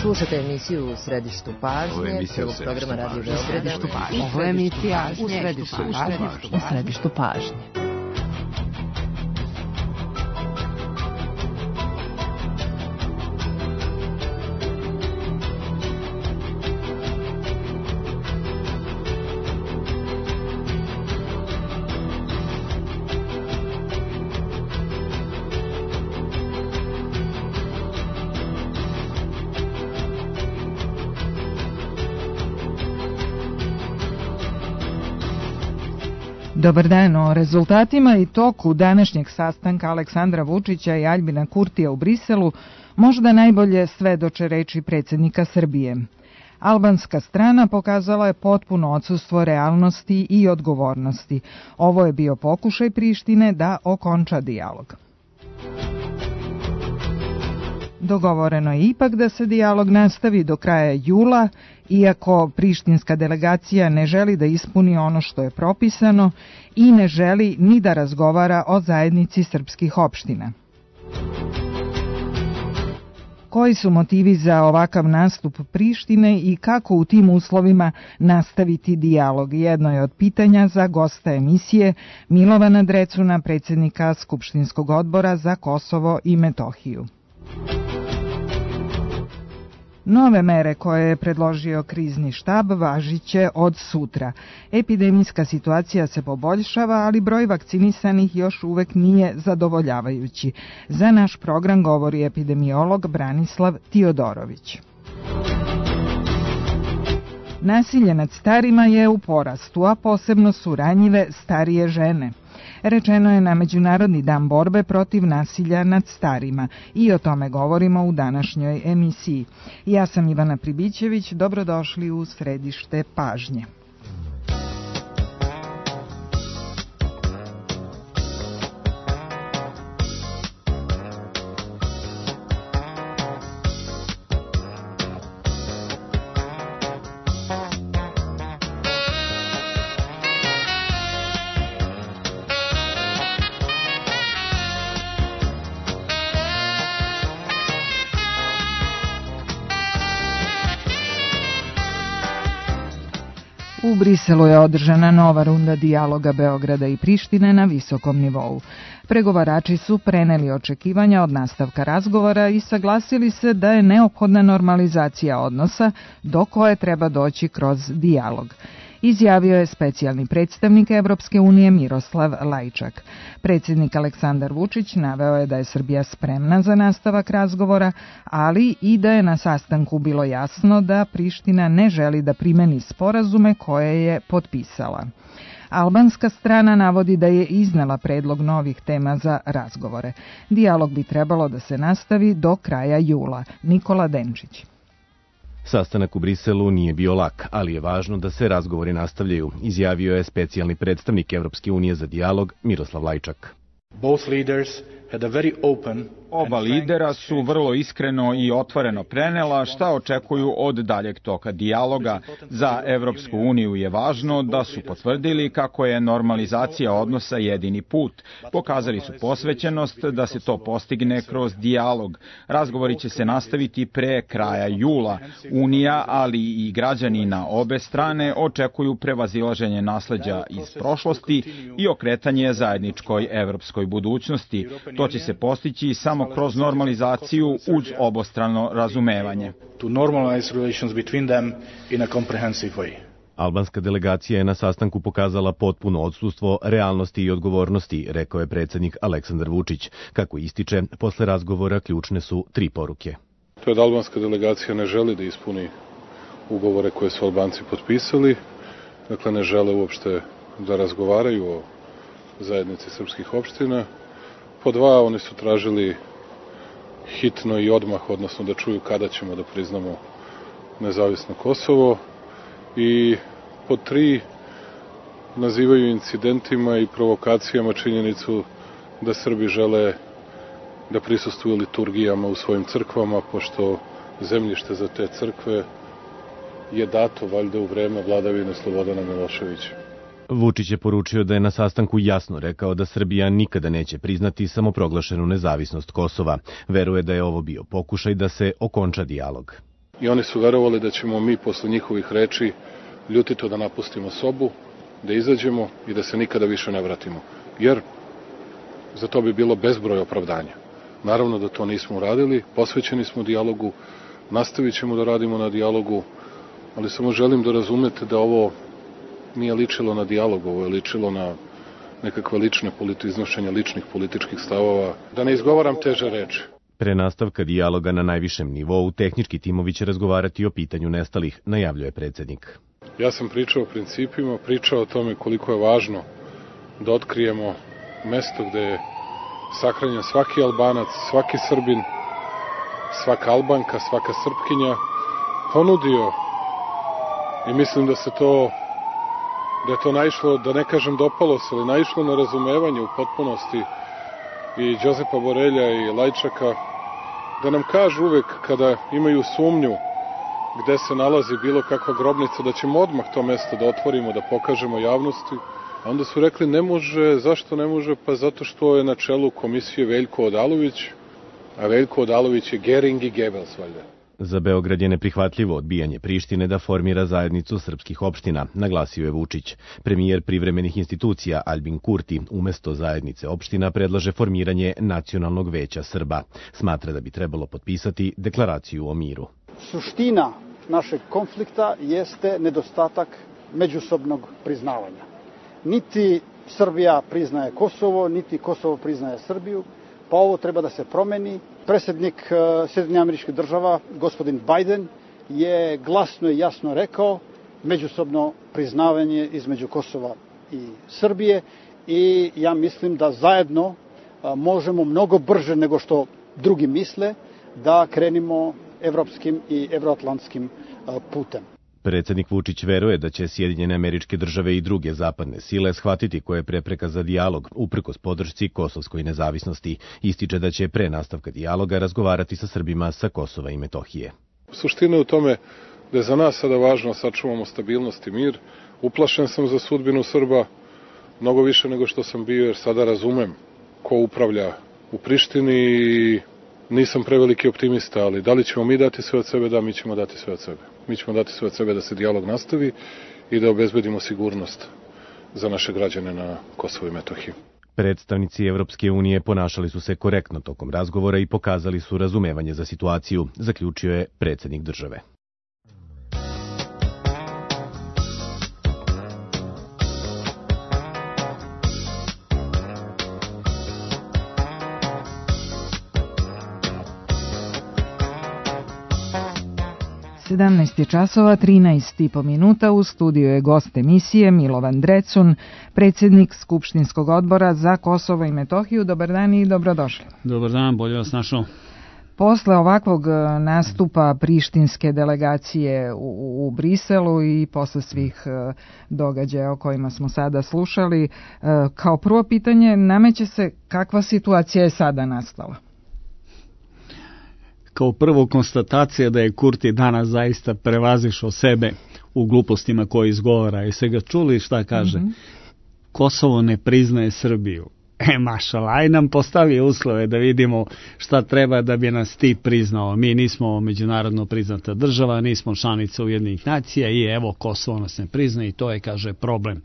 Slušate emisiju U središtu pažnje, prvog programa Radio Beograda. Ovo je emisija U središtu pažnje. Dobar dan. O rezultatima i toku današnjeg sastanka Aleksandra Vučića i Aljbina Kurtija u Briselu možda najbolje svedoče reči predsjednika Srbije. Albanska strana pokazala je potpuno odsustvo realnosti i odgovornosti. Ovo je bio pokušaj Prištine da okonča dijalog. Dogovoreno je ipak da se dijalog nastavi do kraja jula, iako prištinska delegacija ne želi da ispuni ono što je propisano i ne želi ni da razgovara o zajednici srpskih opština. Koji su motivi za ovakav nastup Prištine i kako u tim uslovima nastaviti dijalog? Jedno je od pitanja za gosta emisije Milovana Drecuna, predsjednika Skupštinskog odbora za Kosovo i Metohiju. Nove mere koje je predložio krizni štab važiće od sutra. Epidemijska situacija se poboljšava, ali broj vakcinisanih još uvek nije zadovoljavajući. Za naš program govori epidemiolog Branislav Tiodorović. Nasilje nad starima je u porastu, a posebno su ranjive starije žene. Rečeno je na Međunarodni dan borbe protiv nasilja nad starima i o tome govorimo u današnjoj emisiji. Ja sam Ivana Pribićević, dobrodošli u središte pažnje. U Briselu je održana nova runda dijaloga Beograda i Prištine na visokom nivou. Pregovarači su preneli očekivanja od nastavka razgovora i saglasili se da je neophodna normalizacija odnosa do koje treba doći kroz dijalog. Izjavio je specijalni predstavnik Evropske unije Miroslav Lajčak. Predsjednik Aleksandar Vučić naveo je da je Srbija spremna za nastavak razgovora, ali i da je na sastanku bilo jasno da Priština ne želi da primeni sporazume koje je potpisala. Albanska strana navodi da je iznela predlog novih tema za razgovore. Dijalog bi trebalo da se nastavi do kraja jula. Nikola Denčić. Sastanak u Briselu nije bio lak, ali je važno da se razgovori nastavljaju, izjavio je specijalni predstavnik Evropske unije za dijalog Miroslav Lajčak. Oba lidera su vrlo iskreno i otvoreno prenela šta očekuju od daljeg toka dijaloga. Za Evropsku uniju je važno da su potvrdili kako je normalizacija odnosa jedini put. Pokazali su posvećenost da se to postigne kroz dijalog. Razgovori će se nastaviti pre kraja jula. Unija, ali i građani na obe strane očekuju prevazilaženje nasleđa iz prošlosti i okretanje zajedničkoj evropskoj budućnosti. To će se postići samo kroz normalizaciju uz obostrano razumevanje. Albanska delegacija je na sastanku pokazala potpuno odsustvo realnosti i odgovornosti, rekao je predsjednik Aleksandar Vučić. Kako ističe, posle razgovora ključne su 3 poruke. To je da albanska delegacija ne želi da ispuni ugovore koje su Albanci potpisali, dakle ne žele uopšte da razgovaraju o zajednici srpskih opština. Po 2, oni su tražili hitno i odmah, odnosno da čuju kada ćemo da priznamo nezavisno Kosovo. I po 3, nazivaju incidentima i provokacijama činjenicu da Srbi žele da prisustvuju liturgijama u svojim crkvama, pošto zemljište za te crkve je dato valjda u vreme vladavine Slobodana Miloševića. Vučić je poručio da je na sastanku jasno rekao da Srbija nikada neće priznati samoproglašenu nezavisnost Kosova. Veruje da je ovo bio pokušaj da se okonča dijalog. I oni su verovali da ćemo mi posle njihovih reči ljutito da napustimo sobu, da izađemo i da se nikada više ne vratimo. Jer za to bi bilo bezbroj opravdanja. Naravno da to nismo uradili, posvećeni smo dijalogu, nastavit ćemo da radimo na dijalogu, ali samo želim da razumete da ovo nije ličilo na dijalog, ovo je ličilo na nekakve lične iznošenja ličnih političkih stavova, da ne izgovaram teže reči. Pre nastavka dijaloga na najvišem nivou, tehnički timovi će razgovarati o pitanju nestalih, najavljuje predsjednik. Ja sam pričao o principima, pričao o tome koliko je važno da otkrijemo mesto gde je sahranjen svaki Albanac, svaki Srbin, svaka Albanka, svaka Srpkinja, ponudio i mislim da je to naišlo, da ne kažem dopalo se, ali naišlo na razumevanje u potpunosti i Đozepa Borelja i Lajčaka, da nam kažu uvek kada imaju sumnju gde se nalazi bilo kakva grobnica, da ćemo odmah to mesto da otvorimo, da pokažemo javnosti. A onda su rekli ne može, zašto ne može? Pa zato što je na čelu komisije Veljko Odalović, a Veljko Odalović je Gering i Gebels, valjda. Za Beograd je neprihvatljivo odbijanje Prištine da formira zajednicu srpskih opština, naglasio je Vučić. Premijer privremenih institucija Albin Kurti umesto zajednice opština predlaže formiranje Nacionalnog veća Srba. Smatra da bi trebalo potpisati deklaraciju o miru. Suština našeg konflikta jeste nedostatak međusobnog priznavanja. Niti Srbija priznaje Kosovo, niti Kosovo priznaje Srbiju, pa ovo treba da se promeni. Predsjednik Sjedinjenih Američkih Država, gospodin Biden, je glasno i jasno rekao međusobno priznavanje između Kosova i Srbije i ja mislim da zajedno možemo mnogo brže nego što drugi misle da krenimo evropskim i evroatlantskim putem. Predsjednik Vučić veruje da će Sjedinjene Američke Države i druge zapadne sile shvatiti koje je prepreka za dijalog, uprkos podršci kosovskoj nezavisnosti. Ističe da će pre nastavka dijaloga razgovarati sa Srbima sa Kosova i Metohije. Suština je u tome da je za nas sada važno sačuvamo stabilnost i mir. Uplašen sam za sudbinu Srba mnogo više nego što sam bio, jer sada razumem ko upravlja u Prištini i nisam preveliki optimista, ali da li ćemo mi dati sve od sebe? Da, mi ćemo dati sve od sebe. Mi ćemo dati sve od sebe da se dijalog nastavi i da obezbedimo sigurnost za naše građane na Kosovu i Metohiji. Predstavnici Evropske unije ponašali su se korektno tokom razgovora i pokazali su razumevanje za situaciju, zaključio je predsjednik države. Sedamnaest je časova, 13,5 minuta. U studiju je gost emisije Milovan Drecun, predsjednik Skupštinskog odbora za Kosovo i Metohiju. Dobar dan i dobrodošli. Dobar dan, bolje vas našao. Posle ovakvog nastupa prištinske delegacije u Briselu i posle svih događaja o kojima smo sada slušali, kao prvo pitanje nameće se kakva situacija je sada nastala? Kao prvo konstatacija da je Kurti danas zaista prevazišao sebe u glupostima koje izgovara. Jeste ga čuli šta kaže? Kosovo ne priznaje Srbiju. Mašala, aj nam postavi uslove da vidimo šta treba da bi nas ti priznao. Mi nismo međunarodno priznata država, nismo članica Ujedinjenih nacija i evo Kosovo nas ne priznaje i to je, kaže, problem.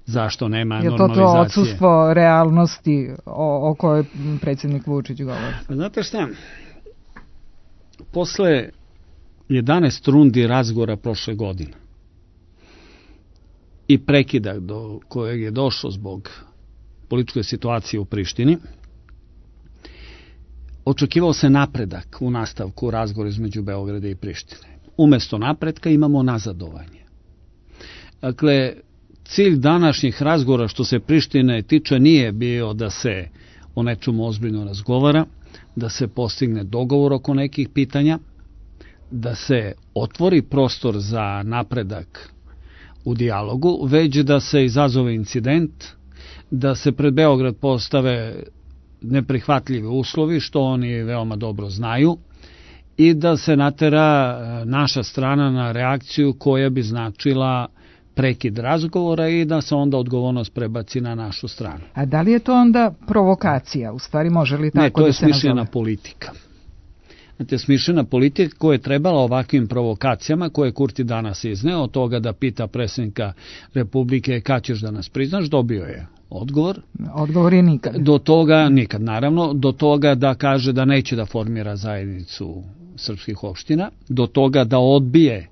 Zašto nema normalizacije? Je to odsustvo realnosti o kojoj predsjednik Vučić govori? Znate šta? Posle 11 rundi razgovora prošle godine i prekida do kojeg je došlo zbog političke situacije u Prištini, očekivao se napredak u nastavku razgovora između Beograda i Prištine. Umesto napretka imamo nazadovanje. Dakle, cilj današnjih razgovora što se Prištine tiče nije bio da se o nečemu ozbiljno razgovara, da se postigne dogovor oko nekih pitanja, da se otvori prostor za napredak u dijalogu, već da se izazove incident, da se pred Beograd postave neprihvatljivi uslovi, što oni veoma dobro znaju, i da se natera naša strana na reakciju koja bi značila prekid razgovora i da se onda odgovornost prebaci na našu stranu. A da li je to onda provokacija? U stvari može li tako da se nazove? Ne, to je smišljena politika. smišljena politika koja je trebala ovakvim provokacijama koje Kurti danas izneo, od toga da pita predsjednika Republike kad ćeš da nas priznaš, dobio je odgovor. Odgovor je nikad. Do toga, nikad naravno, do toga da kaže da neće da formira zajednicu srpskih opština, do toga da odbije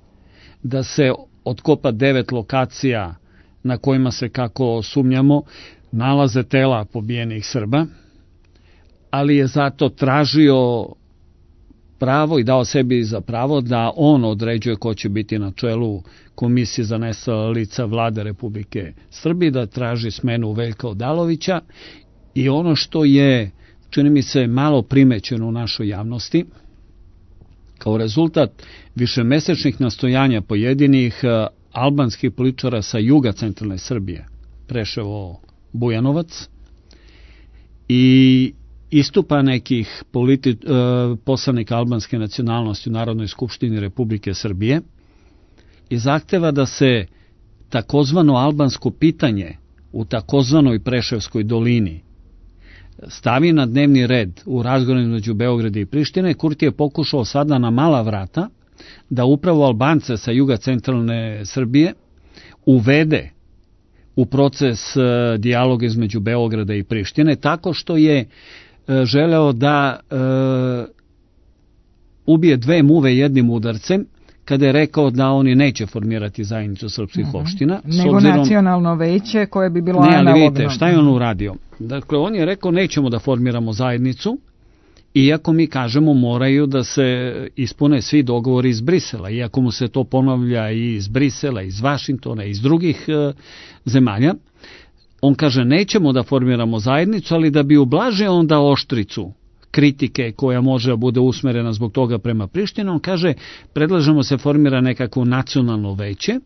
da se otkopa 9 lokacija na kojima se, kako sumnjamo, nalaze tela pobijenih Srba, ali je zato tražio pravo i dao sebi za pravo da on određuje ko će biti na čelu Komisije za nestala lica Vlade Republike Srbije, da traži smenu Veljka Odalovića. I ono što je, čini mi se, malo primećeno u našoj javnosti, kao rezultat višemesečnih nastojanja pojedinih albanskih političara sa juga centralne Srbije, Preševo, Bujanovac, i istupa nekih poslanika albanske nacionalnosti u Narodnoj skupštini Republike Srbije i zahteva da se takozvano albansko pitanje u takozvanoj Preševskoj dolini stavi na dnevni red u razgovoru između Beograda i Prištine. Kurti je pokušao sada na mala vrata da upravo Albance sa juga centralne Srbije uvede u proces dijaloga između Beograda i Prištine, tako što je želeo da ubije 2 muve jednim udarcem, kada je rekao da oni neće formirati zajednicu srpskih opština. Nego nacionalno veće koje bi bilo analogno. Ne, ali vidite, šta je on uradio? Dakle, on je rekao nećemo da formiramo zajednicu, iako mi kažemo moraju da se ispune svi dogovori iz Brisela, iako mu se to ponavlja i iz Brisela, iz Vašingtona, iz drugih zemalja. On kaže nećemo da formiramo zajednicu, ali da bi ublažio onda oštricu kritike koja može bude usmerena zbog toga prema Prištini, on kaže predlažemo se formira nekako nacionalno veće,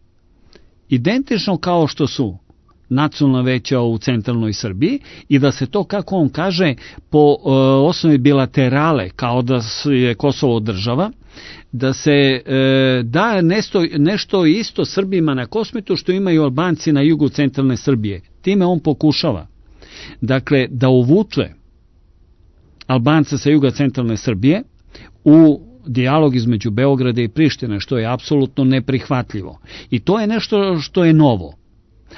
identično kao što su nacionalna veća u centralnoj Srbiji, i da se to, kako on kaže, po osnovi bilaterale, kao da je Kosovo država, da se da nešto isto Srbima na Kosmetu što imaju Albanci na jugu centralne Srbije. Time on pokušava, dakle, da uvuče Albance sa juga centralne Srbije u dijalog između Beograda i Prištine, što je apsolutno neprihvatljivo. I to je nešto što je novo,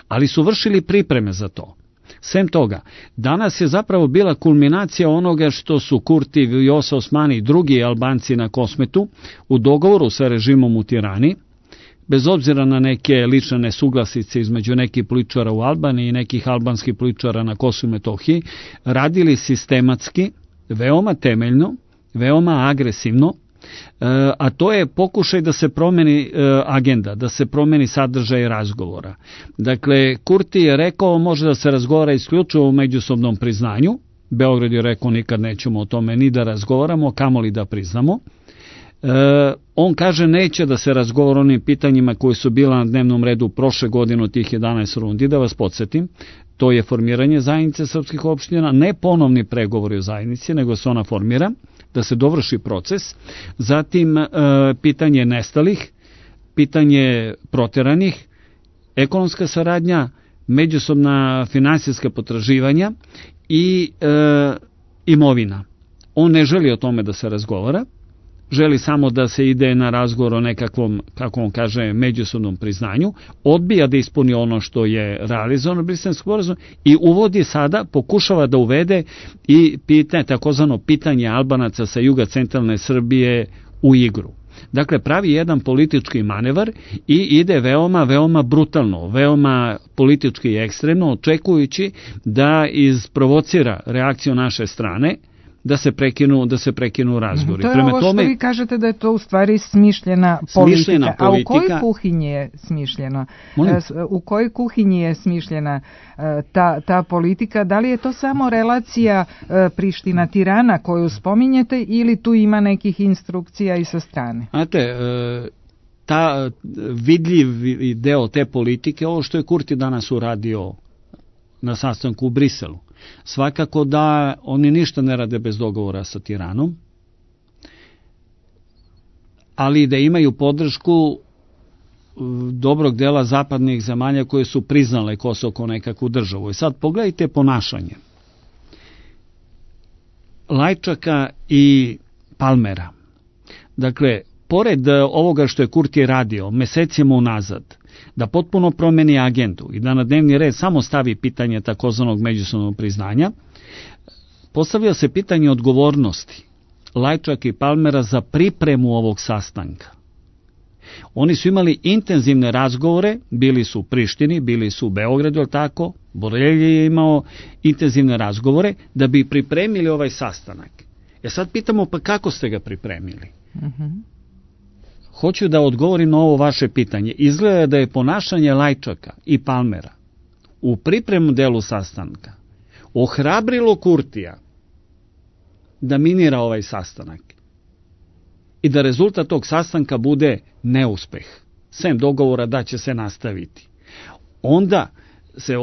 ali su vršili pripreme za to. Sem toga, danas je zapravo bila kulminacija onoga što su Kurti, Vjosa Osmani i drugi Albanci na Kosmetu u dogovoru sa režimom u Tirani, bez obzira na neke lične nesuglasice između nekih političara u Albaniji i nekih albanskih političara na Kosovu i Metohiji, radili sistematski, veoma temeljno, veoma agresivno, a to je pokušaj da se promeni agenda, da se promeni sadržaj razgovora. Dakle, Kurti je rekao može da se razgovara isključivo u međusobnom priznanju. Beograd je rekao nikad nećemo o tome ni da razgovaramo, kamoli da priznamo. On kaže neće da se razgovara o onim pitanjima koji su bila na dnevnom redu prošle godine od tih 11 rundi, da vas podsjetim. To je formiranje zajednice srpskih opština, ne ponovni pregovori o zajednici, nego se ona formira, da se dovrši proces, zatim pitanje nestalih, pitanje proteranih, ekonomska saradnja, međusobna finansijska potraživanja i imovina. On ne želi o tome da se razgovara, želi samo da se ide na razgovor o nekakvom, kako on kaže, međusobnom priznanju, odbija da ispuni ono što je realizovano Briselski sporazum i uvodi sada, pokušava da uvede i takozvano pitanje Albanaca sa juga centralne Srbije u igru. Dakle, pravi jedan politički manevar i ide veoma brutalno, veoma politički i ekstremno, očekujući da isprovocira reakciju naše strane, da se prekinu razgovori. To je ovo što vi kažete da je to u stvari smišljena politika. A u kojoj kuhinji je smišljeno? U kojoj kuhinji je smišljena ta politika? Da li je to samo relacija Priština-Tirana koju spominjete ili tu ima nekih instrukcija i sa strane? Znate, ta vidljiv deo te politike, ovo što je Kurti danas uradio na sastanku u Briselu, svakako da oni ništa ne rade bez dogovora sa Tiranom, ali da imaju podršku dobrog dela zapadnih zemalja koje su priznale Kosovo kao nekakvu državu. I sad pogledajte ponašanje Lajčaka i Palmera. Dakle, pored ovoga što je Kurti radio mesecima unazad, da potpuno promeni agendu i da na dnevni red samo stavi pitanje takozvanog međusobnog priznanja, postavlja se pitanje odgovornosti Lajčaka i Palmera za pripremu ovog sastanka. Oni su imali intenzivne razgovore, bili su u Prištini, bili su u Beogradu, tako, Borelji je imao intenzivne razgovore da bi pripremili ovaj sastanak. Sad pitamo, pa kako ste ga pripremili? Hoću da odgovorim na ovo vaše pitanje. Izgleda da je ponašanje Lajčaka i Palmera u pripremnom delu sastanka ohrabrilo Kurtija da minira ovaj sastanak i da rezultat tog sastanka bude neuspeh, sem dogovora da će se nastaviti. Onda se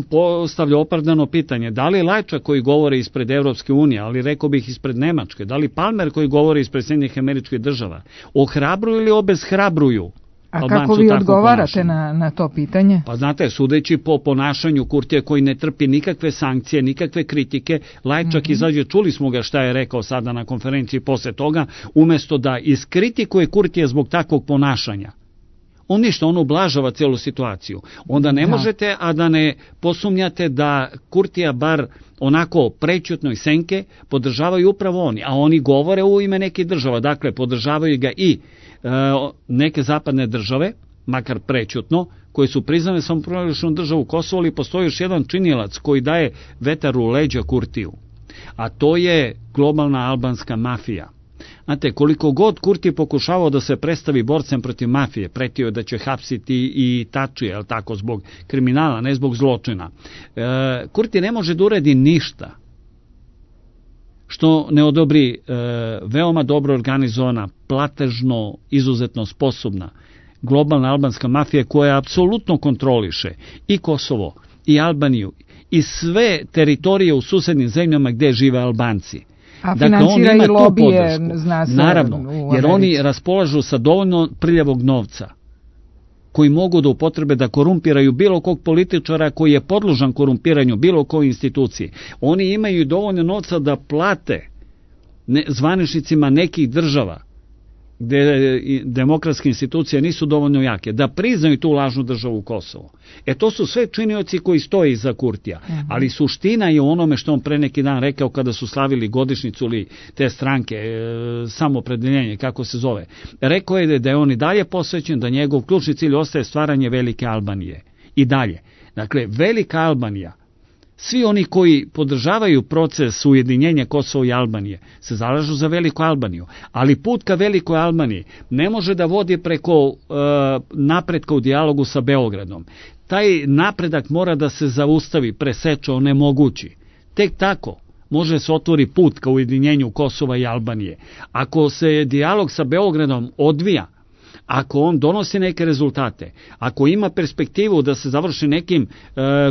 postavlja opravdano pitanje, da li Lajčak koji govori ispred Evropske unije, ali rekao bih ispred Nemačke, da li Palmer koji govori ispred Sjedinjenih Američkih Država, ohrabruju ili obeshrabruju? A kako vi odgovarate na to pitanje? Pa znate, sudeći po ponašanju Kurtija koji ne trpi nikakve sankcije, nikakve kritike, Lajčak izađe, čuli smo ga šta je rekao sada na konferenciji posle toga, umesto da iskritikuje Kurtija zbog takvog ponašanja. On ništa, on ublažava celu situaciju. Onda ne možete, a da ne posumnjate da Kurtija bar onako prećutno i senke podržavaju upravo oni, a oni govore u ime nekih država, dakle podržavaju ga i neke zapadne države, makar prećutno, koji su priznane samoproglašenu državu Kosovo, ali postoji još jedan činilac koji daje vetar u leđa Kurtiju, a to je globalna albanska mafija. Znate, koliko god Kurti pokušavao da se predstavi borcem protiv mafije, pretio je da će hapsiti i Tačije, je li tako, zbog kriminala, ne zbog zločina. Kurti ne može da uredi ništa što ne odobri veoma dobro organizovana, platežno, izuzetno sposobna globalna albanska mafija koja apsolutno kontroliše i Kosovo, i Albaniju, i sve teritorije u susednim zemljama gdje žive Albanci. A financira i lobije, zna se. Naravno, jer oni raspolažu sa dovoljno prljavog novca koji mogu da upotrebe da korumpiraju bilo kog političara koji je podložan korumpiranju bilo koje institucije. Oni imaju dovoljno novca da plate zvaničnicima nekih država gde demokratske institucije nisu dovoljno jake, da priznaju tu lažnu državu Kosovo. To su sve činioci koji stoje iza Kurtija, ali suština je u onome što on pre neki dan rekao kada su slavili godišnjicu ili te stranke, samopredeljenje, kako se zove. Rekao je da je on i dalje posvećen, da njegov ključni cilj ostaje stvaranje Velike Albanije. I dalje. Dakle, Velika Albanija, svi oni koji podržavaju proces ujedinjenja Kosova i Albanije se zalažu za Veliku Albaniju, ali put ka Velikoj Albaniji ne može da vodi preko napretka u dijalogu sa Beogradom. Taj napredak mora da se zaustavi, preseče, onemogući. Tek tako može se otvori put ka ujedinjenju Kosova i Albanije. Ako se dijalog sa Beogradom odvija, ako on donosi neke rezultate, ako ima perspektivu da se završi nekim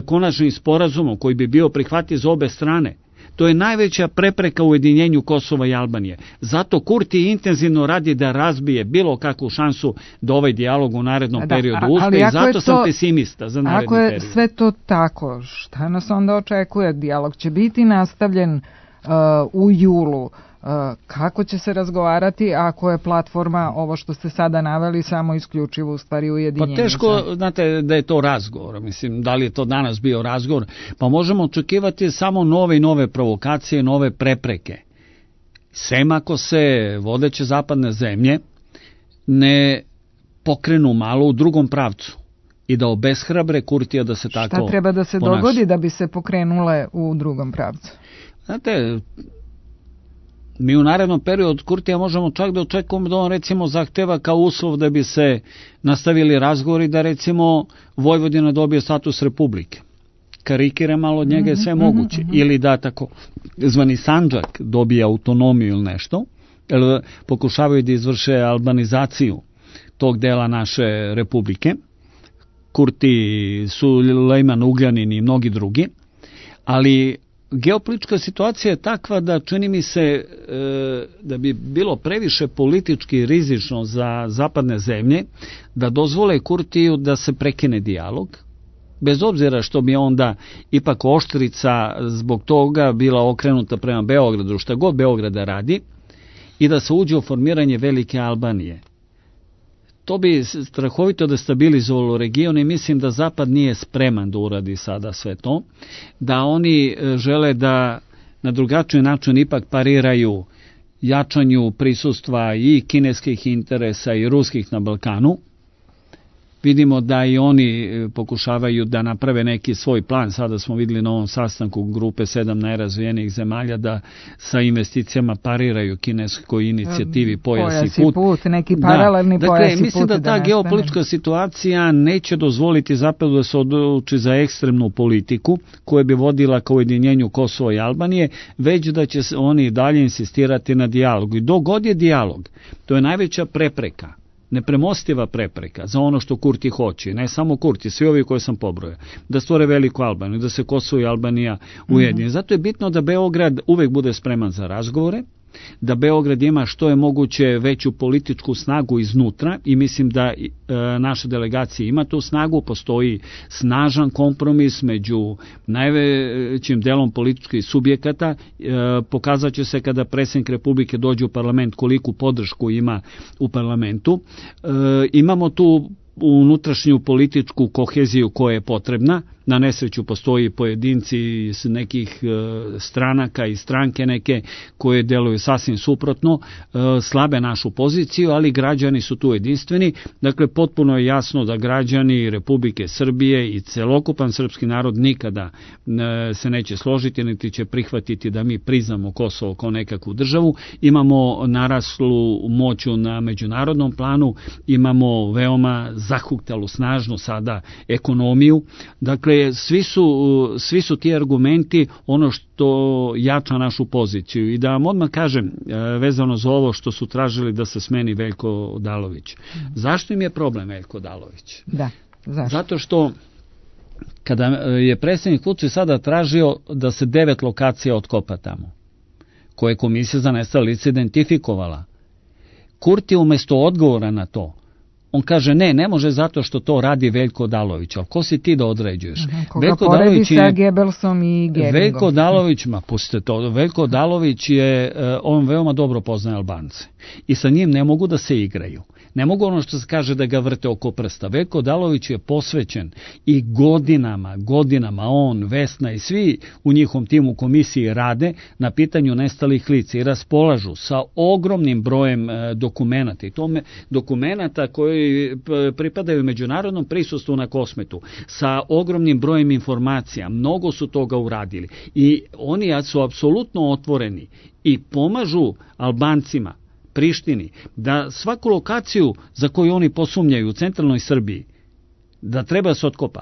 konačnim sporazumom koji bi bio prihvatljiv za obe strane, to je najveća prepreka u ujedinjenju Kosova i Albanije. Zato Kurti intenzivno radi da razbije bilo kakvu šansu da ovaj dijalog u narednom periodu uspe i zato sam pesimista za naredni period. Ako je sve to tako, šta nas onda očekuje? Dijalog će biti nastavljen u julu. Kako će se razgovarati ako je platforma, ovo što ste sada naveli, samo isključivo u stvari ujedinjenje? Pa teško, znate, da je to razgovor. Mislim, da li je to danas bio razgovor? Pa možemo očekivati samo nove i nove provokacije, nove prepreke. Sem ako se vodeće zapadne zemlje ne pokrenu malo u drugom pravcu i da obeshrabre Kurtija da se tako ponaša. Šta treba da se dogodi da bi se pokrenule u drugom pravcu? Znate, mi u narednom periodu od Kurtija možemo čak da očekujemo da on recimo zahteva kao uslov da bi se nastavili razgovori da recimo Vojvodina dobije status republike. Karikira malo od njega je sve moguće. Ili da tako zvani Sandžak dobije autonomiju ili nešto. Jer pokušavaju da izvrše albanizaciju tog dela naše republike. Kurti, Sulejman Ugljanin i mnogi drugi. Ali geopolitička situacija je takva da čini mi se da bi bilo previše politički rizično za zapadne zemlje da dozvole Kurtiju da se prekine dijalog, bez obzira što bi onda ipak oštrica zbog toga bila okrenuta prema Beogradu, šta god Beograda radi, i da se uđe u formiranje velike Albanije. To bi strahovito destabilizovalo region i mislim da Zapad nije spreman da uradi sada sve to, da oni žele da na drugačiji način ipak pariraju jačanju prisustva i kineskih interesa i ruskih na Balkanu. Vidimo da i oni pokušavaju da naprave neki svoj plan. Sada smo vidjeli na ovom sastanku grupe 7 najrazvijenijih zemalja da sa investicijama pariraju kineskoj inicijativi Pojas i put. Neki paralelni dakle, pojas i put. Mislim da ta geopolitička situacija neće dozvoliti Zapadu da se odluči za ekstremnu politiku koja bi vodila ka ujedinjenju Kosova i Albanije, već da će oni dalje insistirati na dijalogu. I dok god je dijalog, to je najveća prepreka, nepremostiva prepreka za ono što Kurti hoće, ne samo Kurti, svi ovi koje sam pobrojao, da stvore veliku Albaniju, da se Kosovo i Albanija ujedine. Zato je bitno da Beograd uvek bude spreman za razgovore, da Beograd ima što je moguće veću političku snagu iznutra i mislim da naša delegacija ima tu snagu, postoji snažan kompromis među najvećim delom političkih subjekata, pokazat će se kada predsjednik Republike dođe u parlament koliku podršku ima u parlamentu. Imamo tu unutrašnju političku koheziju koja je potrebna. Na nesreću postoji pojedinci iz nekih stranaka i stranke neke koje deluju sasvim suprotno, slabe našu poziciju, ali građani su tu jedinstveni. Dakle, potpuno je jasno da građani Republike Srbije i celokupan srpski narod nikada se neće složiti, niti će prihvatiti da mi priznamo Kosovo kao nekakvu državu. Imamo naraslu moću na međunarodnom planu, imamo veoma zahuktalu, snažnu sada ekonomiju. Dakle, svi su ti argumenti ono što jača našu poziciju. I da vam odmah kažem, vezano za ovo što su tražili da se smeni Veljko Odalović. Zašto im je problem Veljko Odalović? Da, zašto? Zato što kada je predsjednik Vučić sada tražio da se 9 lokacija otkopa tamo, koje je Komisija za nestala lica identifikovala, Kurti umjesto odgovora na to, on kaže ne može zato što to radi Veljko Odalović. Ali ko si ti da određuješ? Koga poredi sa Goebbelsom i Geringom? Veljko Odalović, pustite to, Veljko Odalović je, on veoma dobro poznaje Albance. I sa njim ne mogu da se igraju. Ne mogu ono što se kaže da ga vrte oko prsta. Veljko Odalović je posvećen i godinama on, Vesna i svi u njihovom timu komisiji rade na pitanju nestalih lica i raspolažu sa ogromnim brojem dokumenata. I tome dokumenata koji pripadaju međunarodnom prisustvu na Kosmetu, sa ogromnim brojem informacija. Mnogo su toga uradili. I oni su apsolutno otvoreni i pomažu Albancima, Prištini, da svaku lokaciju za koju oni posumnjaju u centralnoj Srbiji, da treba se otkopa,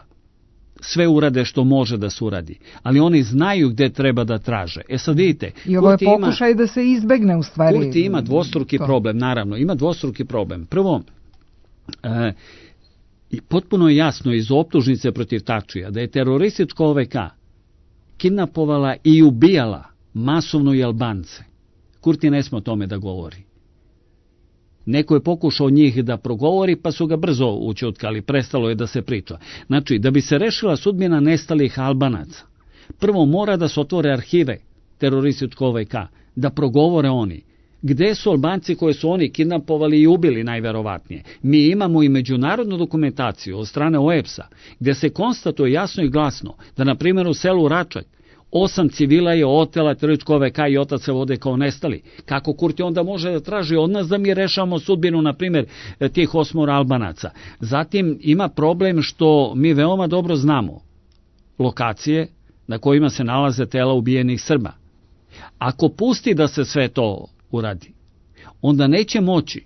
sve urade što može da se uradi. Ali oni znaju gde treba da traže. Sad vidite, i ovo je pokušaj da se izbegne u stvari. Kurti ima dvostruki problem, naravno. Ima dvostruki problem. Prvo, i potpuno je jasno iz optužnice protiv Tačija da je teroristička OVK kidnapovala i ubijala masovno i Albance. Kurti ne sme o tome da govori. Neko je pokušao njih da progovori, pa su ga brzo ućutkali, prestalo je da se priča. Znači, da bi se rešila sudbina nestalih Albanaca, prvo mora da se otvore arhive terorističkog OVK, da progovore oni. Gde su Albanci koje su oni kidnapovali i ubili najverovatnije? Mi imamo i međunarodnu dokumentaciju od strane OEBS-a, gde se konstatuje jasno i glasno da, na primjer, u selu Račak 8 civila je otela teroristička OVK i otac se vode kao nestali. Kako Kurti onda može da traži od nas da mi rešavamo sudbinu, na primjer, tih 8 Albanaca? Zatim ima problem što mi veoma dobro znamo lokacije na kojima se nalaze tela ubijenih Srba. Ako pusti da se sve to uradi, onda neće moći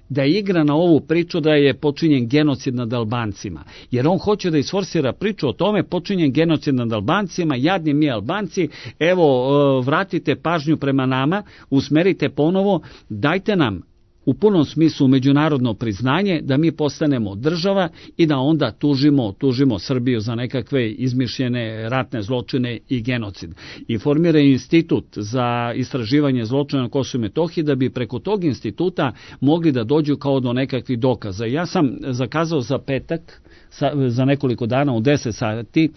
da igra na ovu priču da je počinjen genocid nad Albancima. Jer on hoće da isforsira priču o tome, počinjen genocid nad Albancima, jadni mi Albanci, evo, vratite pažnju prema nama, usmerite ponovo, dajte nam u punom smislu međunarodno priznanje da mi postanemo država i da onda tužimo Srbiju za nekakve izmišljene ratne zločine i genocid. I formira institut za istraživanje zločina na Kosovu i Metohiji da bi preko tog instituta mogli da dođu kao do nekakvih dokaza. Ja sam zakazao za petak, za nekoliko dana u 10 sati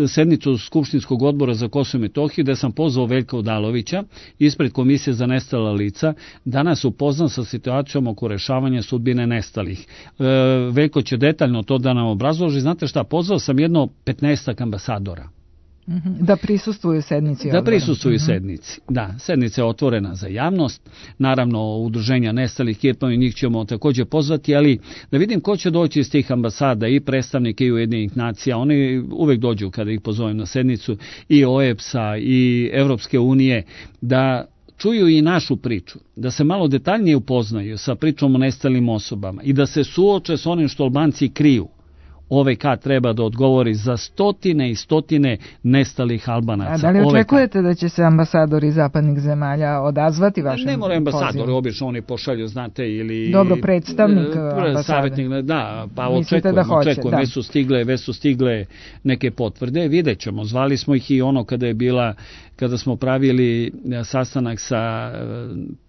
sednicu Skupštinskog odbora za Kosovo i Metohiju, gde sam pozvao Veljka Odalovića ispred Komisije za nestala lica, da nas upozna sa situacijom oko rešavanja sudbine nestalih. Veljko će detaljno to da nam obrazloži. Znate šta, pozvao sam jedno 15 ambasadora. Da prisustvuju sednici odbora. Da prisustvuju sednici. Da, sednica je otvorena za javnost. Naravno, udruženja nestalih Kirtman i njih ćemo također pozvati, ali da vidim ko će doći iz tih ambasada, i predstavnike i Ujedinjenih nacija. Oni uvek dođu kada ih pozovem na sednicu, i OEBS-a i Evropske unije, da čuju i našu priču, da se malo detaljnije upoznaju sa pričom o nestalim osobama i da se suoče s onim što Albanci kriju. OVK treba da odgovori za stotine i stotine nestalih Albanaca. A da li očekujete da će se ambasadori zapadnih zemalja odazvati vašem pozivu? Ne moraju ambasadori, obično oni pošalju, znate, ili... Dobro, predstavnik ambasade. Savjetnik, da, pa očekujem, već su stigle neke potvrde, vidjet ćemo. Zvali smo ih i ono kada smo pravili sastanak sa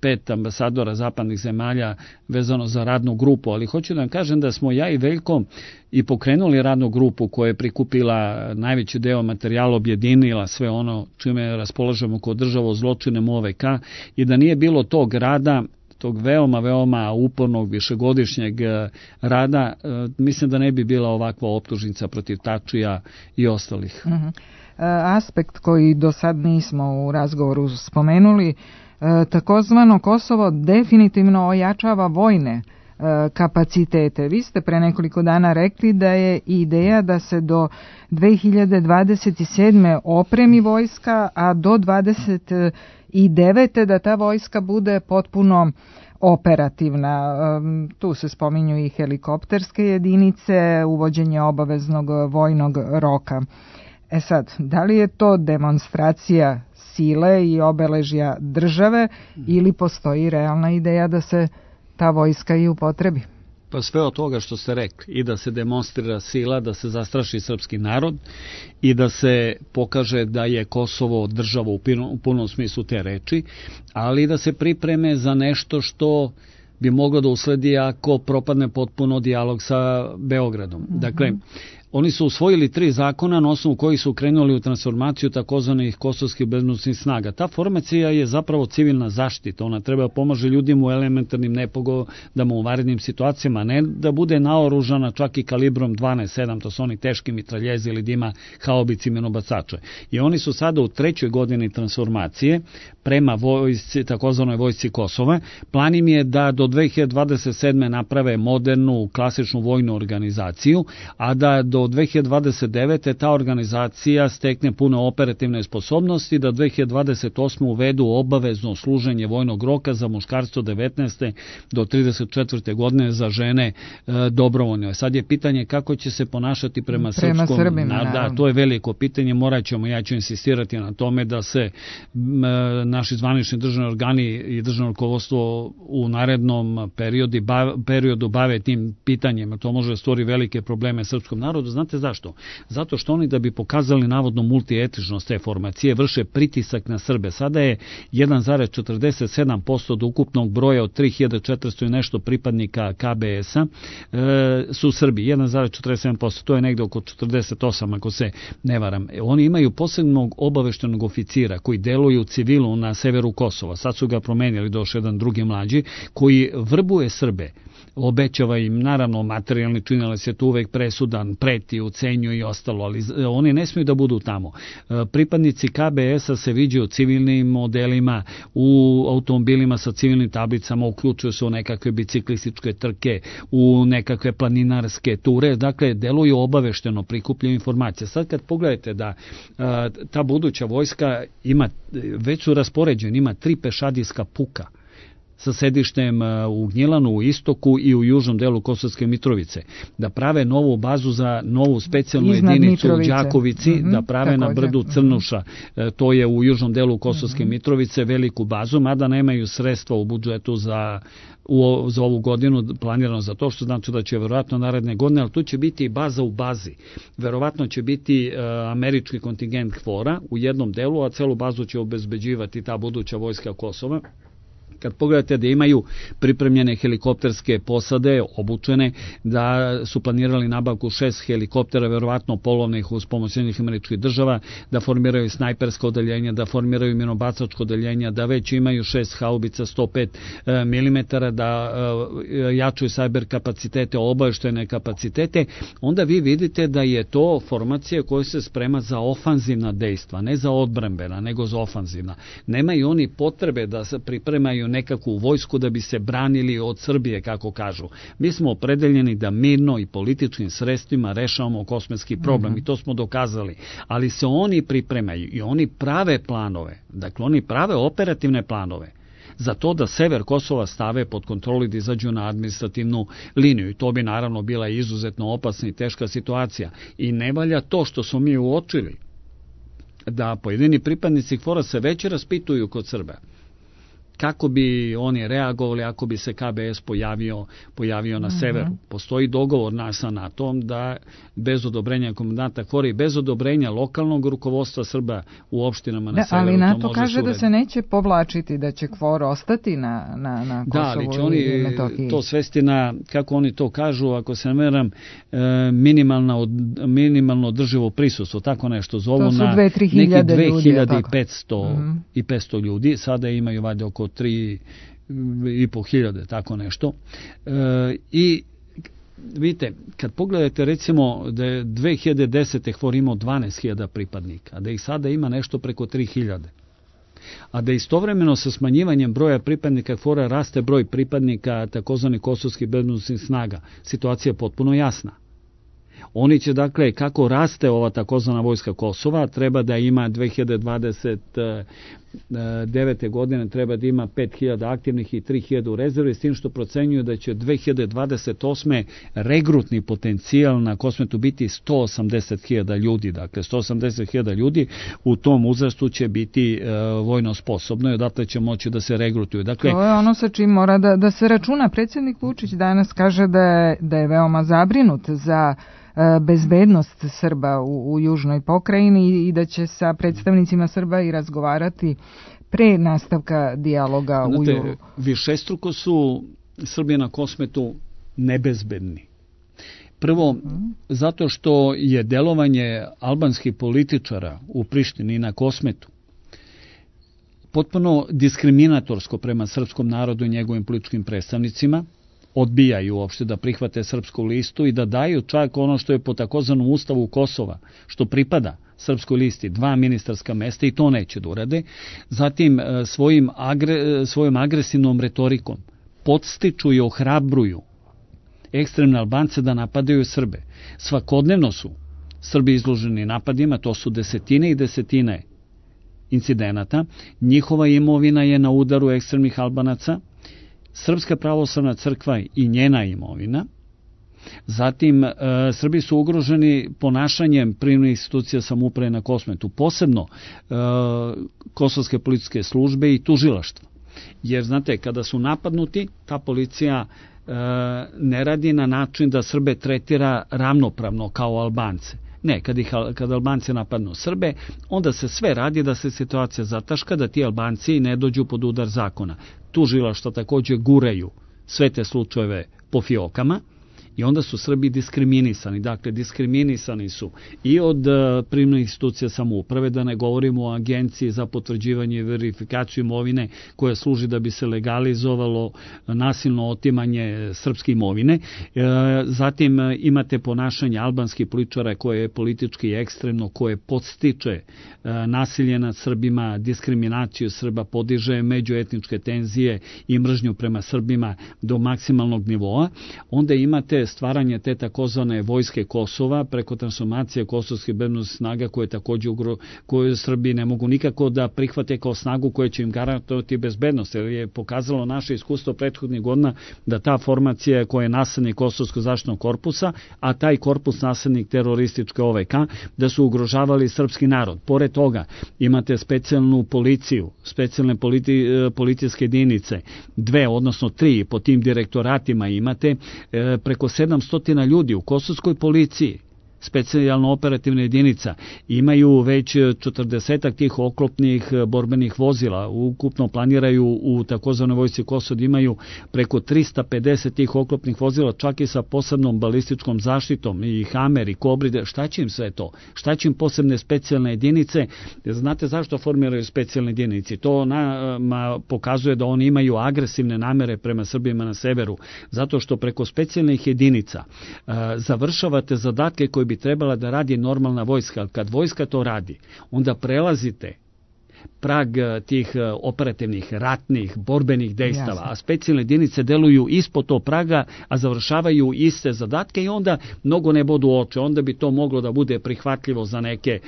5 ambasadora zapadnih zemalja vezano za radnu grupu, ali hoću da vam kažem da smo ja i Veljko i pokrenuli radnu grupu koja je prikupila najveći deo materijala, objedinila sve ono čime raspolažemo kod država o zločinem OVK, i da nije bilo tog rada, tog veoma upornog višegodišnjeg rada, mislim da ne bi bila ovakva optužnica protiv Tačija i ostalih. Aspekt koji do sad nismo u razgovoru spomenuli, takozvano Kosovo definitivno ojačava vojne kapacitete. Vi ste pre nekoliko dana rekli da je ideja da se do 2027. opremi vojska, a do 2029. da ta vojska bude potpuno operativna. Tu se spominju i helikopterske jedinice, uvođenje obaveznog vojnog roka. Sad, da li je to demonstracija sile i obeležja države ili postoji realna ideja da se ta vojska i upotrebi? Pa sve od toga što ste rekli, i da se demonstrira sila, da se zastraši srpski narod i da se pokaže da je Kosovo država u punom smislu te reči, ali da se pripreme za nešto što bi moglo da usledi ako propadne potpuno dijalog sa Beogradom. Dakle, oni su usvojili 3 zakona na osnovu kojih su krenuli u transformaciju takozvanih kosovskih bezbednosnih snaga. Ta formacija je zapravo civilna zaštita. Ona treba pomoći ljudima u elementarnim nepogodama, u vanrednim situacijama, ne da bude naoružana čak i kalibrom 12-7, to su oni teški mitraljezi ili da ima haubice i minobacače. I oni su sada u 3. godini transformacije prema vojsci, takozvanoj vojsci Kosova. Plan im je da do 2027. naprave modernu, klasičnu vojnu organizaciju, a da do 2029. ta organizacija stekne pune operativne sposobnosti, da 2028. uvedu obavezno služenje vojnog roka za muškarstvo 19. do 34. godine, za žene dobrovoljno. Sad je pitanje kako će se ponašati prema Srbima. Da, to je veliko pitanje, ja ću insistirati na tome da se naši zvanični državni organi i državno rukovodstvo u narednom periodu bave tim pitanjima. To može stvoriti velike probleme srpskom narodu. Znate zašto? Zato što oni, da bi pokazali navodno multietičnost te formacije, vrše pritisak na Srbe. Sada je 1,47% od ukupnog broja od 3400 i nešto pripadnika KBS-a su Srbi. 1,47%, to je negde oko 48, ako se ne varam. Oni imaju posebnog obaveštenog oficira koji deluje u civilu na severu Kosova. Sad su ga promenili, došao jedan drugi mlađi, koji vrbuje Srbe. Obećava im, naravno, materijalni činilac je tu uvek presudan, preti, ucenjuje i ostalo, ali oni ne smiju da budu tamo. Pripadnici KBS-a se viđaju u civilnim modelima, u automobilima sa civilnim tablicama, uključuju se u nekakve biciklističke trke, u nekakve planinarske ture, dakle, deluju obavešteno, prikupljaju informacije. Sad kad pogledajte da ta buduća vojska ima, već su raspoređeni, ima 3 pešadijska puka sa sedištem u Gnjilanu, u istoku i u južnom delu Kosovske Mitrovice, da prave novu bazu za novu specijalnu jedinicu u Đakovici, da prave na brdu Crnuša, to je u južnom delu Kosovske Mitrovice, veliku bazu, mada nemaju sredstva u budžetu za ovu godinu planirano za to, što znači da će verovatno naredne godine, ali tu će biti i baza u bazi. Verovatno će biti američki kontingent KFOR-a u jednom delu, a celu bazu će obezbeđivati ta buduća vojska Kosova. Kad pogledate da imaju pripremljene helikopterske posade, obučene, da su planirali nabavku 6 helikoptera, verovatno polovnih uz pomoć Sjedinjenih Američkih Država, da formiraju snajpersko odeljenje, da formiraju minobacačko odeljenje, da već imaju 6 haubica 105 mm, da jačaju sajber kapacitete, obaveštene kapacitete, onda vi vidite da je to formacija koja se sprema za ofanzivna dejstva, ne za odbrambena, nego za ofanzivna. Nemaju oni potrebe da se pripremaju nekakvu vojsku da bi se branili od Srbije, kako kažu. Mi smo opredeljeni da mirno i političkim sredstvima rešavamo kosmetski problem i to smo dokazali. Ali se oni pripremaju i oni prave planove, dakle oni prave operativne planove za to da sever Kosova stave pod kontrolu i da izađu na administrativnu liniju. I to bi naravno bila izuzetno opasna i teška situacija. I ne valja to što smo mi uočili, da pojedini pripadnici KFOR-a se već raspituju kod Srba. Kako bi oni reagovali ako bi se KBS pojavio na severu. Postoji dogovor nas sa NATO-om da bez odobrenja komandanta KFOR-a i bez odobrenja lokalnog rukovodstva Srba u opštinama na severu. Ali NATO kaže da se neće povlačiti, da će KFOR ostati na Kosovu. Da, ali će oni to svesti na, kako oni to kažu, ako se ne veram, minimalno održivo prisustvo, tako nešto zovu, to su na 2500 i 500 ljudi, sada imaju valjda oko 3.500, tako nešto. I vidite, kad pogledate recimo da je 2010. KFOR imao 12.000 pripadnika, a da ih sada ima nešto preko 3.000. A da istovremeno sa smanjivanjem broja pripadnika KFOR-a raste broj pripadnika takozvanih kosovskih bezbednosnih snaga. Situacija je potpuno jasna. Oni će, dakle, kako raste ova takozvana vojska Kosova, treba da ima 2029. godine treba da ima 5.000 aktivnih i 3.000 u rezervi, s tim što procenjuju da će 2028. regrutni potencijal na Kosmetu biti 180.000 ljudi. Dakle, 180.000 ljudi u tom uzrastu će biti vojno sposobno i odatle će moći da se regrutuju. Dakle, to je ono sa čim mora da se računa. Predsjednik Vučić danas kaže da je veoma zabrinut za bezbednost Srba u južnoj pokrajini i da će sa predstavnicima Srba i razgovarati pre nastavka dijaloga u julu. Višestruko su Srbi na Kosmetu nebezbedni. Prvo, zato što je delovanje albanskih političara u Prištini i na Kosmetu potpuno diskriminatorsko prema srpskom narodu i njegovim političkim predstavnicima, odbijaju uopšte da prihvate srpsku listu i da daju čak ono što je po takozvanom ustavu Kosova, što pripada srpskoj listi, 2 ministarska mesta i to neće da urade. Zatim svojom agresivnom retorikom podstiču i ohrabruju ekstremne Albance da napadaju Srbe. Svakodnevno su Srbi izloženi napadima, to su desetine i desetine incidenata. Njihova imovina je na udaru ekstremnih Albanaca, Srpska pravoslavna crkva i njena imovina. Zatim, Srbi su ugroženi ponašanjem privremenih institucija samouprave na Kosmetu, posebno kosovske policijske službe i tužilaštva. Jer, znate, kada su napadnuti, ta policija ne radi na način da Srbe tretira ravnopravno kao Albance. Ne, kada Albanci napadnu Srbe, onda se sve radi da se situacija zataška, da ti Albanci ne dođu pod udar zakona. Tužilaštva također guraju sve te slučajeve po fiokama i onda su Srbi diskriminisani. Dakle, diskriminisani su i od privremenih institucija samouprave, da ne govorimo o agenciji za potvrđivanje i verifikaciju imovine koja služi da bi se legalizovalo nasilno otimanje srpske imovine. Zatim imate ponašanje albanskih političara koje je politički ekstremno, koje podstiče nasilje nad Srbima, diskriminaciju Srba, podiže međuetničke tenzije i mržnju prema Srbima do maksimalnog nivoa. Onda imate stvaranje te takozvane vojske Kosova preko transformacije kosovskih bezbednosnih snaga koje Srbi ne mogu nikako da prihvate kao snagu koja će im garantovati bezbednost, jer je pokazalo naše iskustvo prethodnih godina da ta formacija koja je naslednik Kosovskog zaštitnog korpusa, a taj korpus naslednik terorističke OVK, da su ugrožavali srpski narod. Pored toga imate specijalnu policiju, specijalne policijske jedinice, 2, odnosno 3 po tim direktoratima imate preko 700 ljudi u kosovskoj policiji specijalno operativna jedinica, imaju već 40 tih oklopnih borbenih vozila, ukupno planiraju u takozvanoj vojsci Kosova da imaju preko 350 tih oklopnih vozila, čak i sa posebnom balističkom zaštitom, i Hamer, i Kobride. Šta će im sve to? Šta će im posebne specijalne jedinice? Znate zašto formiraju specijalne jedinice? To pokazuje da oni imaju agresivne namere prema Srbima na severu, zato što preko specijalnih jedinica završavate zadatke koje bi trebala da radi normalna vojska. Kad vojska to radi, onda prelazite prag tih operativnih, ratnih, borbenih dejstava, a specijalne jedinice deluju ispod tog praga, a završavaju iste zadatke i onda mnogo ne bodu oče, onda bi to moglo da bude prihvatljivo za neke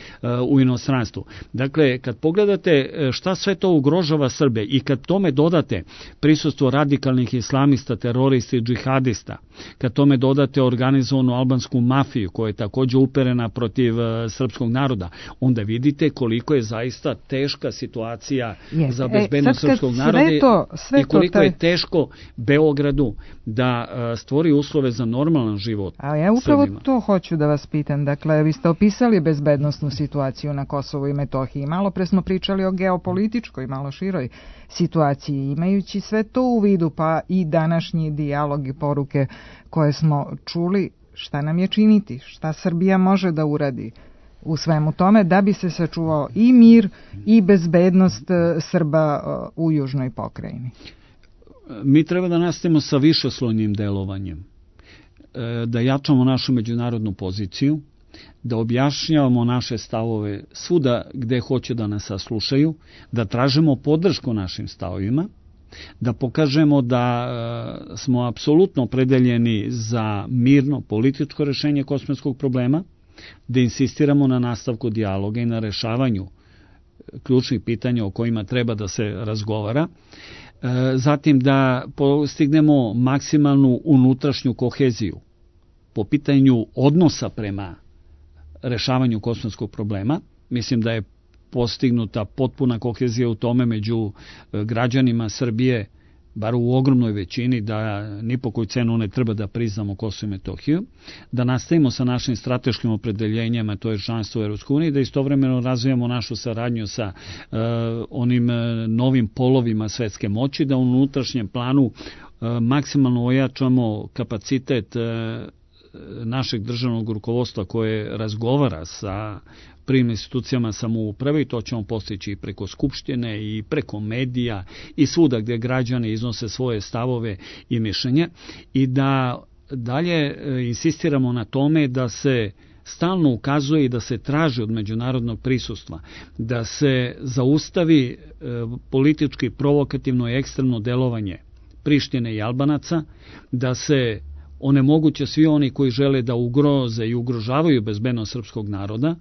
u inostranstvu. Dakle, kad pogledate šta sve to ugrožava Srbe i kad tome dodate prisustvo radikalnih islamista, terorista i džihadista, kad tome dodate organizovanu albansku mafiju koja je takođe uperena protiv srpskog naroda, onda vidite koliko je zaista teška situacija za bezbednost srpskog naroda i koliko je teško Beogradu da stvori uslove za normalan život. A ja upravo to hoću da vas pitam. Dakle, vi ste opisali bezbednosnu situaciju na Kosovu i Metohiji. Malo pre smo pričali o geopolitičkoj, malo široj situaciji. Imajući sve to u vidu, pa i današnji dijalog i poruke koje smo čuli, šta nam je činiti? Šta Srbija može da uradi u svemu tome da bi se sačuvao i mir i bezbednost Srba u južnoj pokrajini? Mi treba da nastavimo sa višeslojnim delovanjem, da jačamo našu međunarodnu poziciju, da objašnjavamo naše stavove svuda gde hoće da nas saslušaju, da tražimo podršku našim stavovima, da pokažemo da smo apsolutno opredeljeni za mirno političko rešenje kosovskog problema, da insistiramo na nastavku dijaloga i na rešavanju ključnih pitanja o kojima treba da se razgovara, zatim da postignemo maksimalnu unutrašnju koheziju po pitanju odnosa prema rešavanju kosovskog problema. Mislim da je postignuta potpuna kohezija u tome među građanima Srbije, bar u ogromnoj većini, da ni po koju cenu ne treba da priznamo Kosovo i Metohiju, da nastavimo sa našim strateškim opredeljenjima, to je članstvo u EU, da istovremeno razvijamo našu saradnju sa onim novim polovima svetske moći, da u unutrašnjem planu maksimalno ojačamo kapacitet našeg državnog rukovodstva koje razgovara sa prvim institucijama samouprave, i to ćemo postići i preko Skupštine i preko medija i svuda gdje građani iznose svoje stavove i mišljenje, i da dalje insistiramo na tome da se stalno ukazuje i da se traži od međunarodnog prisustva, da se zaustavi politički provokativno i ekstremno delovanje Prištine i Albanaca, da se onemoguće svi oni koji žele da ugroze i ugrožavaju bezbednost srpskog naroda,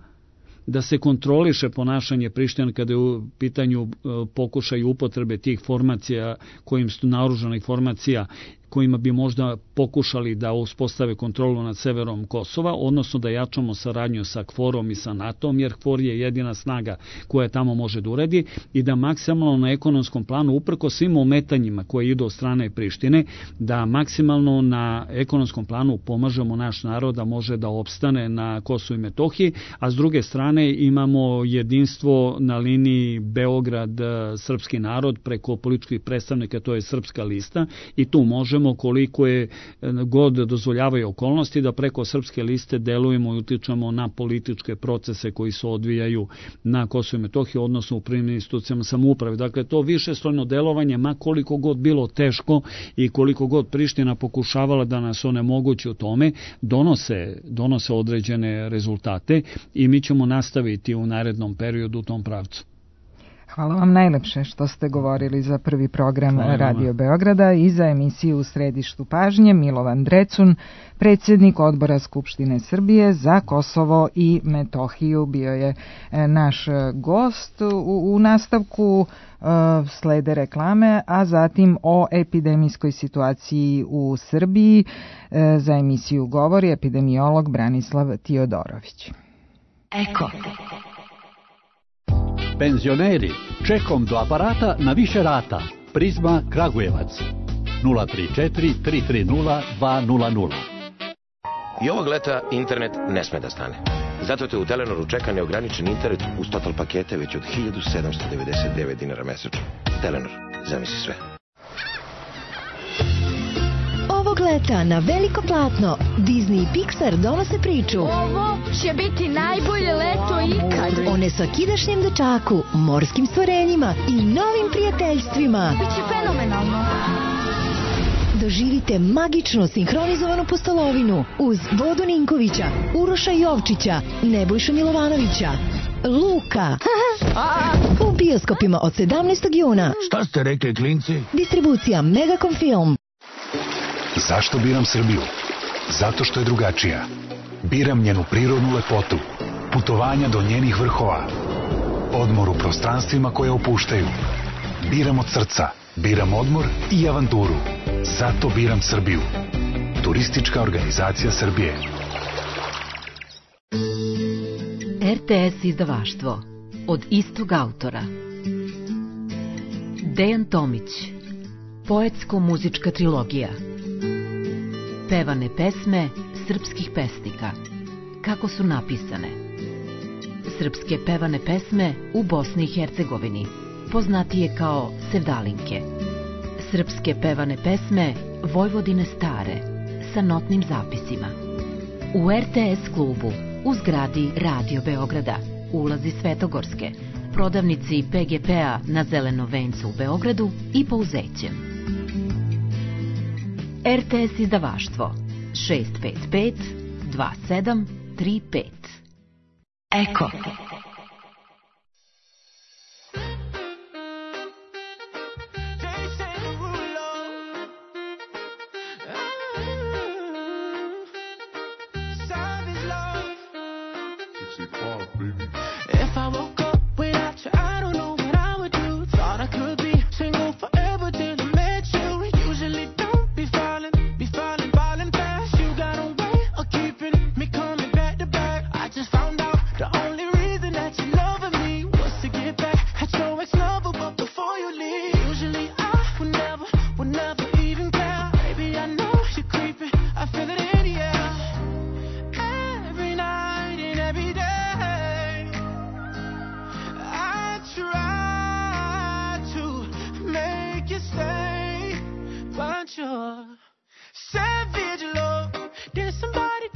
da se kontroliše ponašanje Prištine kada je u pitanju pokušaj upotrebe tih formacija, kojim su naoružanih formacija, kojima bi možda pokušali da uspostave kontrolu nad severom Kosova, odnosno da jačamo saradnju sa KFOR-om i sa NATO-om, jer KFOR je jedina snaga koja tamo može da uredi, i da maksimalno na ekonomskom planu, uprko svim ometanjima koje idu od strane Prištine, da maksimalno na ekonomskom planu pomažemo naš narod da može da opstane na Kosovu i Metohiji, a s druge strane imamo jedinstvo na liniji Beograd-srpski narod preko političkih predstavnika, to je Srpska lista, i tu možemo koliko je god dozvoljavaju okolnosti da preko Srpske liste delujemo i utičemo na političke procese koji se odvijaju na Kosovu i Metohiji, odnosno u prvim institucijama samouprave. Dakle, to višeslojno delovanje, ma koliko god bilo teško i koliko god Priština pokušavala da nas onemogući u tome, donose određene rezultate i mi ćemo nastaviti u narednom periodu u tom pravcu. Hvala vam najlepše što ste govorili za prvi program Radio Beograda i za emisiju U središtu pažnje. Milovan Drecun, predsjednik Odbora Skupštine Srbije za Kosovo i Metohiju, bio je naš gost. U nastavku slede reklame, a zatim o epidemijskoj situaciji u Srbiji. Za emisiju govori epidemiolog Branislav Tiodorović. Eko. Penzioneri, čekom do aparata na više rata. Prizma Kragujevac 034 330 200. I ovog leta internet ne sme da stane. Zato te u Telenoru čeka neograničen internet uz total pakete već od 1799 dinara mesečno. Telenor, zamisli sve. Ovog leta na veliko platno Disney i Pixar donose priču. Ovo će biti najbolje leto ikad. O nesvakidašnjem dečaku, morskim stvorenjima i novim prijateljstvima. Biće fenomenalno. Doživite magično sinhronizovanu postolovinu uz Vodu Ninkovića, Uroša Jovčića, Nebojšu Milovanovića, Luka. U bioskopima od 17. juna. Šta ste rekli, klinci? Distribucija Megacom Film. Zašto biram Srbiju? Zato što je drugačija. Biram njenu prirodnu lepotu, putovanja do njenih vrhova, odmor u prostranstvima koje opuštaju. Biram od srca, biram odmor i avanturu. Zato biram Srbiju. Turistička organizacija Srbije. RTS izdavaštvo. Od istog autora. Dejan Tomić. Poetsko-muzička trilogija. Pevane pesme srpskih pesnika. Kako su napisane. Srpske pevane pesme u Bosni i Hercegovini, poznatije kao sevdalinke. Srpske pevane pesme Vojvodine stare, sa notnim zapisima. U RTS klubu, u zgradi Radio Beograda, ulazi Svetogorske, prodavnici PGP-a na Zeleno vencu u Beogradu i Pouzećem. RTS izdavaštvo 655 2735. Eko. If I woke up without you, I don't know what I would do. Thought I could be single forever till I met you. Usually don't be falling fast. You got a way of keeping me coming back to back. I just found out the only reason that you loving me was to get back at your ex-lover, but before you leave, usually I would never even care. Baby, I know you're creeping, I feel it in the air. Every night and every day try to make you stay, but you're savage, love. Did somebody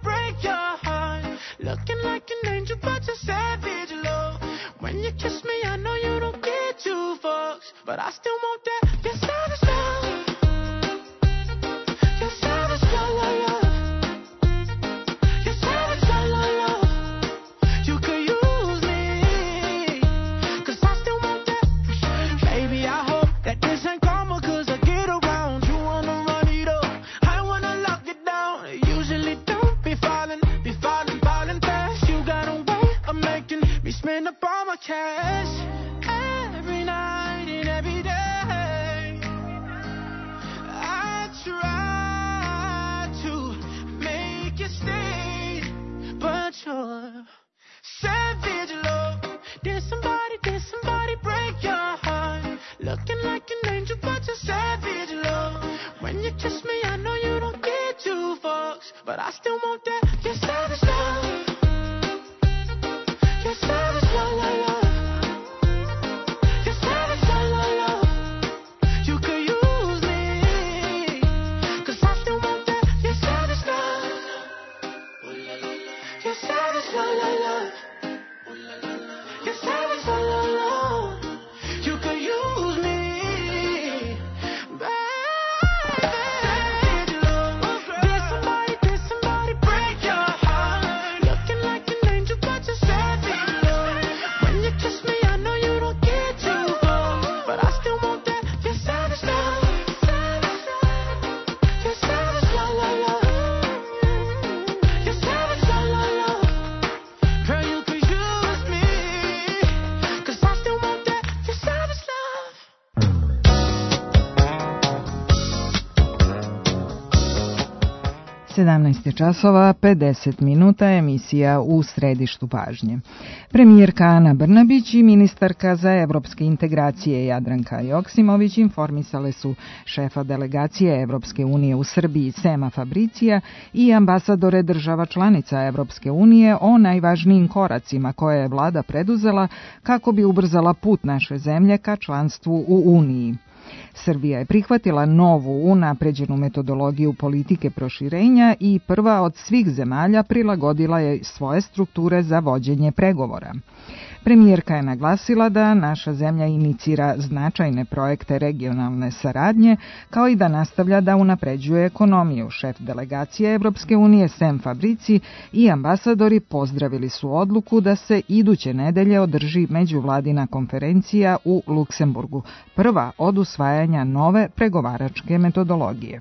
break your heart? Looking like an angel, but you're savage, love. When you kiss me, I know you don't get two fucks, but I still want that. You're savage, love. You're savage, love, love, love. You're savage, love, love, love. You could use me, 'cause I still want that. Baby, I hope that this ain't karma, 'cause I get around. You wanna run it up, I wanna lock it down. Usually don't be falling fast. You got a way of making me spend up all my cash. Every night and every day I try to make you stay, but you're savage, love. Did somebody break your heart? Looking like an angel, but you're savage, love. When you kiss me, I know you don't get two fucks, but I still want that. You're savage, love. You're savage, love, love, love. You're savage, love, love, love. You could use me, 'cause I still want that. You're savage, love. You're savage, love, love, love. You're savage, love, love, love. You could use me, baby. Did somebody break your 17 časova 50 minuta, emisija U središtu pažnje. Premijerka Ana Brnabić i ministarka za evropske integracije Jadranka Joksimović informisale su šefa delegacije Evropske unije u Srbiji Sema Fabricija i ambasadore država članica Evropske unije o najvažnijim koracima koje je vlada preduzela kako bi ubrzala put naše zemlje ka članstvu u Uniji. Srbija je prihvatila novu unapređenu metodologiju politike proširenja i prva od svih zemalja prilagodila je svoje strukture za vođenje pregovora. Premijerka je naglasila da naša zemlja inicira značajne projekte regionalne saradnje, kao i da nastavlja da unapređuje ekonomiju. Šef delegacije Evropske unije Sem Fabrici i ambasadori pozdravili su odluku da se iduće nedelje održi međuvladina konferencija u Luksemburgu, prva od usvajanja nove pregovaračke metodologije.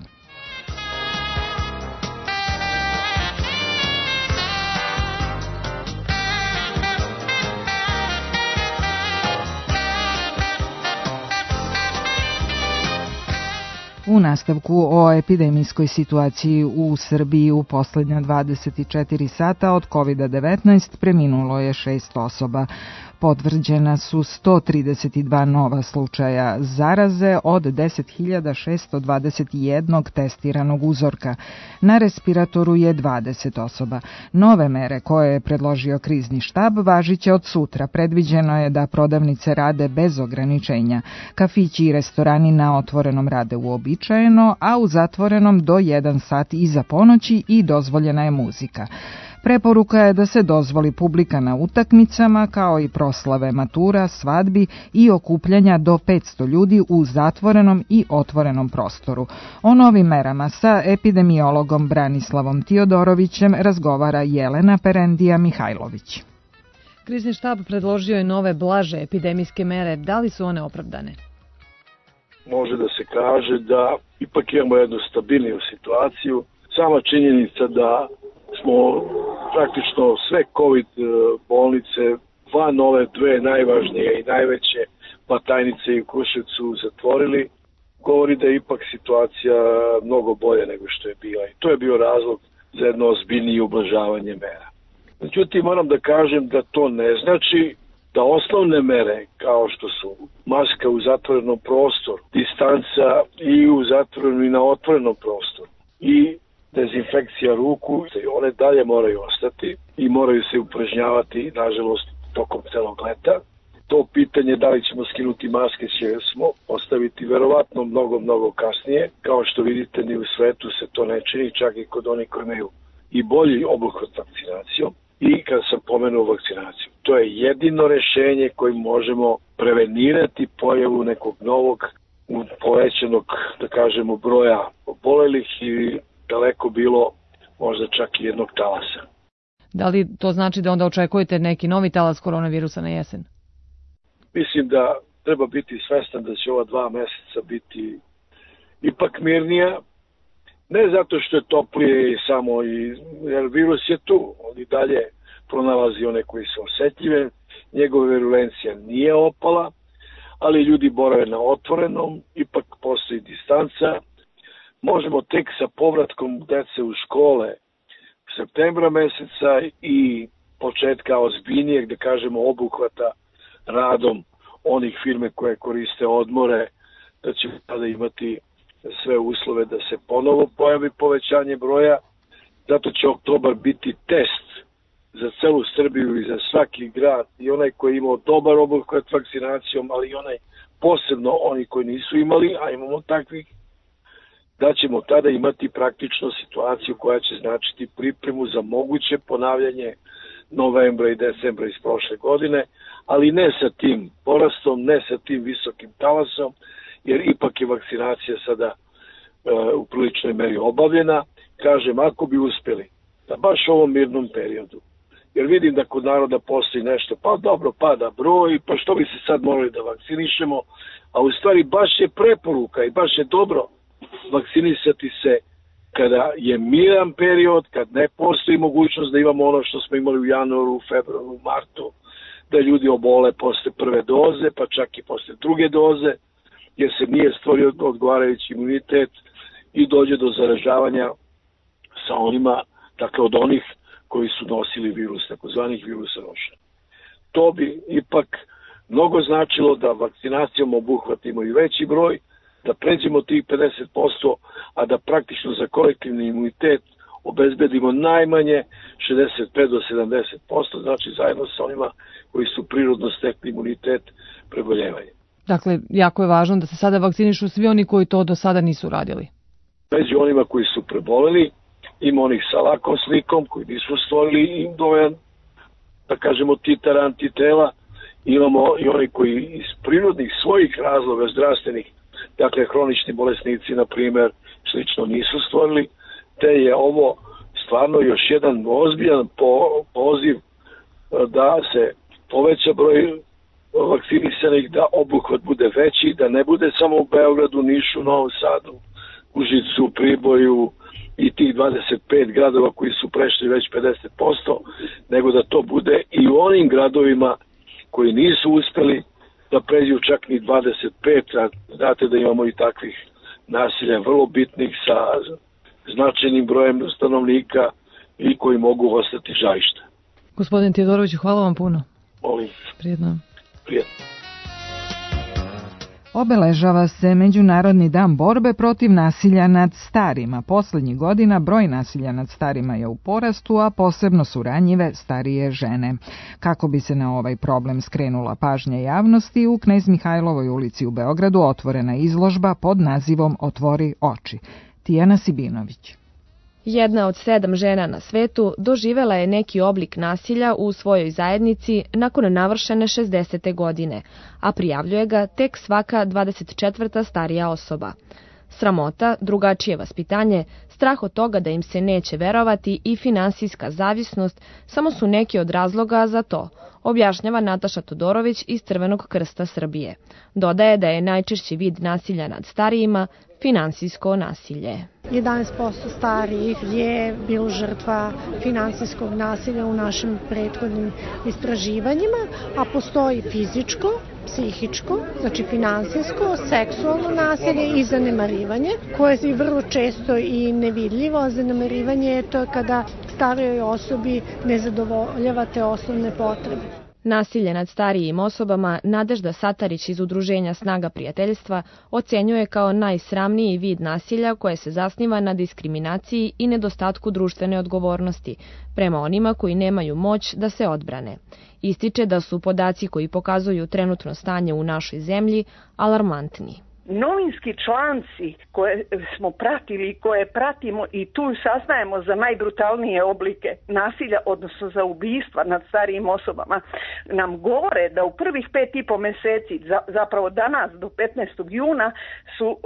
U nastavku o epidemijskoj situaciji u Srbiji u posljednja 24 sata od COVID-19 preminulo je 6 osoba. Potvrđena su 132 nova slučaja zaraze od 10.621 testiranog uzorka. Na respiratoru je 20 osoba. Nove mere koje je predložio krizni štab važiće od sutra. Predviđeno je da prodavnice rade bez ograničenja. Kafići i restorani na otvorenom rade uobičajeno, a u zatvorenom do 1 sat iza ponoći i dozvoljena je muzika. Preporuka je da se dozvoli publika na utakmicama, kao i proslave matura, svadbi i okupljanja do 500 ljudi u zatvorenom i otvorenom prostoru. O novim merama sa epidemiologom Branislavom Tiodorovićem razgovara Jelena Perendija Mihajlović. Krizni štab predložio je nove blaže epidemijske mere. Da li su one opravdane? Može da se kaže da ipak imamo jednu stabilniju situaciju. Sama činjenica da smo praktično sve COVID bolnice van ove dve najvažnije i najveće Batajnice i Kruševcu zatvorili, govori da je ipak situacija mnogo bolja nego što je bila. I to je bio razlog za jedno ozbiljnije ublažavanje mera. Međutim, moram da kažem da to ne znači da osnovne mere, kao što su maska u zatvorenom prostoru, distanca i u zatvorenom i na otvorenom prostoru i dezinfekcija ruku, one dalje moraju ostati i moraju se upražnjavati, nažalost, tokom celog leta. To pitanje da li ćemo skinuti maske ćemo ostaviti verovatno mnogo kasnije. Kao što vidite, ni u svetu se to ne čini, čak i kod onih koji imaju i bolji obuhvat vakcinacijom. I kad sam pomenuo vakcinaciju, to je jedino rešenje kojim možemo prevenirati pojavu nekog novog, povećanog, da kažemo, broja obolelih i daleko bilo možda čak i jednog talasa. Da li to znači da onda očekujete neki novi talas koronavirusa na jesen? Mislim da treba biti svestan da će ova 2 meseca biti ipak mirnija. Ne zato što je toplije samo, jer virus je tu, on i dalje pronalazi one koji su osetljive, njegova virulencija nije opala, ali ljudi borave na otvorenom, ipak postoji distanca. Možemo tek sa povratkom dece u škole septembra meseca i početka ozbiljnijeg, da kažemo, obuhvata radom onih firme koje koriste odmore, da ćemo tada imati sve uslove da se ponovo pojavi povećanje broja. Zato će oktobar biti test za celu Srbiju i za svaki grad, i onaj koji je imao dobar obuhvat vakcinacijom, ali i onaj posebno oni koji nisu imali, a imamo takvih, da ćemo tada imati praktično situaciju koja će značiti pripremu za moguće ponavljanje novembra i decembra iz prošle godine, ali ne sa tim porastom, ne sa tim visokim talasom, jer ipak je vakcinacija sada u priličnoj meri obavljena. Kažem, ako bi uspeli da baš u ovom mirnom periodu, jer vidim da kod naroda postoji nešto, pa dobro, pada broj, pa što bi se sad morali da vakcinišemo, a u stvari baš je preporuka i baš je dobro vakcinisati se kada je miran period, kad ne postoji mogućnost da imamo ono što smo imali u januaru, februaru, martu, da ljudi obole posle prve doze, pa čak i posle druge doze, jer se nije stvorio odgovarajući imunitet i dođe do zaražavanja sa onima, dakle od onih koji su nosili virus, takozvanih virusa noša. To bi ipak mnogo značilo da vakcinacijom obuhvatimo i veći broj, da pređemo tih 50%, a da praktično za kolektivni imunitet obezbedimo najmanje 65 do 70%, znači zajedno sa onima koji su prirodno stekli imunitet preboljevanja. Dakle, jako je važno da se sada vakcinišu svi oni koji to do sada nisu radili. Među onima koji su preboleli, ima onih sa lakom slikom koji nisu stvorili im dovoljan, da kažemo, titar antitela, imamo i oni koji iz prirodnih svojih razloga zdravstvenih, dakle hronični bolesnici, na primjer, slično nisu stvorili, te je ovo stvarno još jedan ozbiljan poziv da se poveća broj vakcinisanih, da obuhvat bude veći, da ne bude samo u Beogradu, Nišu, Novom Sadu, Užicu, Priboju i tih 25 gradova koji su prešli već 50%, nego da to bude i u onim gradovima koji nisu uspeli da pređu čak ni 25, a znate da imamo i takvih nasilja vrlo bitnih sa značajnim brojem stanovnika i koji mogu ostati žarišta. Gospodin Tijodorović, hvala vam puno. Molim. Prijetno. Prijetno. Obeležava se Međunarodni dan borbe protiv nasilja nad starima. Poslednjih godina broj nasilja nad starima je u porastu, a posebno su ranjive starije žene. Kako bi se na ovaj problem skrenula pažnja javnosti, u Knez Mihajlovoj ulici u Beogradu otvorena izložba pod nazivom Otvori oči. Tijana Sibinović. Jedna od 7 žena na svetu doživela je neki oblik nasilja u svojoj zajednici nakon navršene 60. godine, a prijavljuje ga tek svaka 24. starija osoba. Sramota, drugačije vaspitanje, strah od toga da im se neće verovati i finansijska zavisnost samo su neki od razloga za to, objašnjava Nataša Todorović iz Crvenog krsta Srbije. Dodaje da je najčešći vid nasilja nad starijima finansijsko nasilje. 11% starijih je bilo žrtva finansijskog nasilja u našim prethodnim istraživanjima, a postoji fizičko, psihičko, znači finansijsko, seksualno nasilje i zanemarivanje, koje je vrlo često i nevidljivo. Zanemarivanje je to kada starijoj osobi ne zadovoljavate osnovne potrebe. Nasilje nad starijim osobama Nadežda Satarić iz Udruženja Snaga prijateljstva ocenjuje kao najsramniji vid nasilja koje se zasniva na diskriminaciji i nedostatku društvene odgovornosti prema onima koji nemaju moć da se odbrane. Ističe da su podaci koji pokazuju trenutno stanje u našoj zemlji alarmantni. Novinski članci koje smo pratili i koje pratimo i tu saznajemo za najbrutalnije oblike nasilja, odnosno za ubistva nad starijim osobama, nam govore da u prvih 5,5 meseci, zapravo danas do 15. juna, su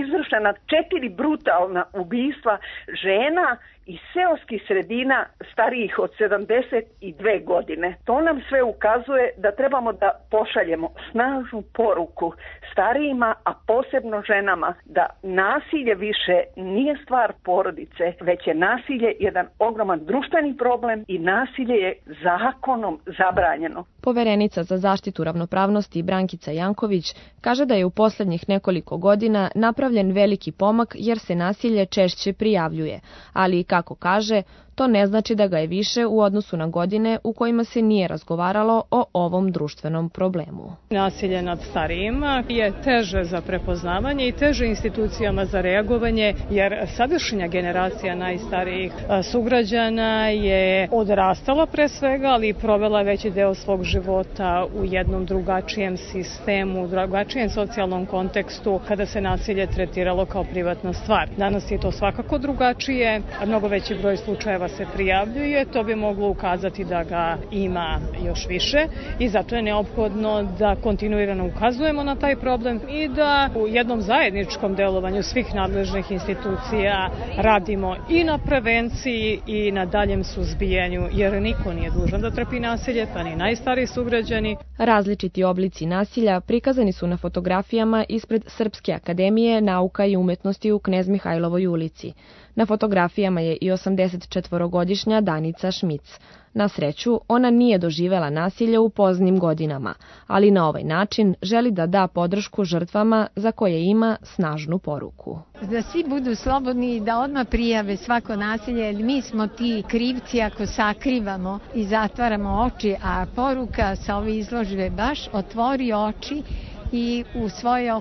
izvršena 4 brutalna ubistva žena iz seoskih sredina starijih od 72 godine. To nam sve ukazuje da trebamo da pošaljemo snažnu poruku starijima, a posebno ženama, da nasilje više nije stvar porodice, već je nasilje jedan ogroman društveni problem i nasilje je zakonom zabranjeno. Poverenica za zaštitu ravnopravnosti Brankica Janković kaže da je u poslednjih nekoliko godina napravljen veliki pomak jer se nasilje češće prijavljuje, ali kako kaže, to ne znači da ga je više u odnosu na godine u kojima se nije razgovaralo o ovom društvenom problemu. Nasilje nad starijima je teže za prepoznavanje i teže institucijama za reagovanje, jer sadašnja generacija najstarijih sugrađana je odrastala pre svega, ali i provela veći deo svog života u jednom drugačijem sistemu, drugačijem socijalnom kontekstu, kada se nasilje tretiralo kao privatna stvar. Danas je to svakako drugačije, mnogo veći broj slučajeva se prijavljuje, to bi moglo ukazati da ga ima još više i zato je neophodno da kontinuirano ukazujemo na taj problem i da u jednom zajedničkom delovanju svih nadležnih institucija radimo i na prevenciji i na daljem suzbijanju, jer niko nije dužan da trpi nasilje, pa ni najstariji sugrađani. Različiti oblici nasilja prikazani su na fotografijama ispred Srpske akademije nauka i umetnosti u Knez Mihajlovoj ulici. Na fotografijama je i 84 24-godišnja Danica Šmic. Na sreću, ona nije doživela nasilje u poznim godinama, ali na ovaj način želi da da podršku žrtvama za koje ima snažnu poruku. Da svi budu slobodni i da odmah prijave svako nasilje, jer mi smo ti krivci ako sakrivamo i zatvaramo oči, a poruka sa ove izložbe baš otvori oči i u svoje